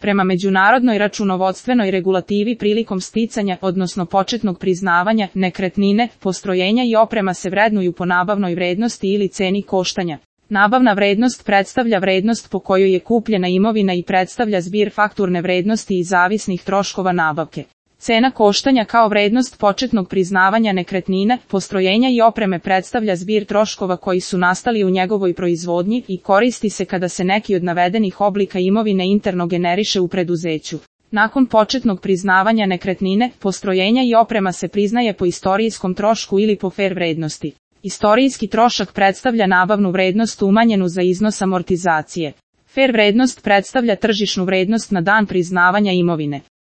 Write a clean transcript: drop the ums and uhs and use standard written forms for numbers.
Prema međunarodnoj računovodstvenoj regulativi prilikom sticanja, odnosno početnog priznavanja, nekretnine, postrojenja i oprema se vrednuju po nabavnoj vrednosti ili ceni koštanja. Nabavna vrednost predstavlja vrednost po kojoj je kupljena imovina i predstavlja zbir fakturne vrednosti i zavisnih troškova nabavke. Cena koštanja kao vrednost početnog priznavanja nekretnine, postrojenja i opreme predstavlja zbir troškova koji su nastali u njegovoj proizvodnji i koristi se kada se neki od navedenih oblika imovine interno generiše u preduzeću. Nakon početnog priznavanja nekretnine, postrojenja i oprema se priznaje po istorijskom trošku ili po fer vrednosti. Istorijski trošak predstavlja nabavnu vrednost umanjenu za iznos amortizacije. Fer vrednost predstavlja tržišnu vrednost na dan priznavanja imovine.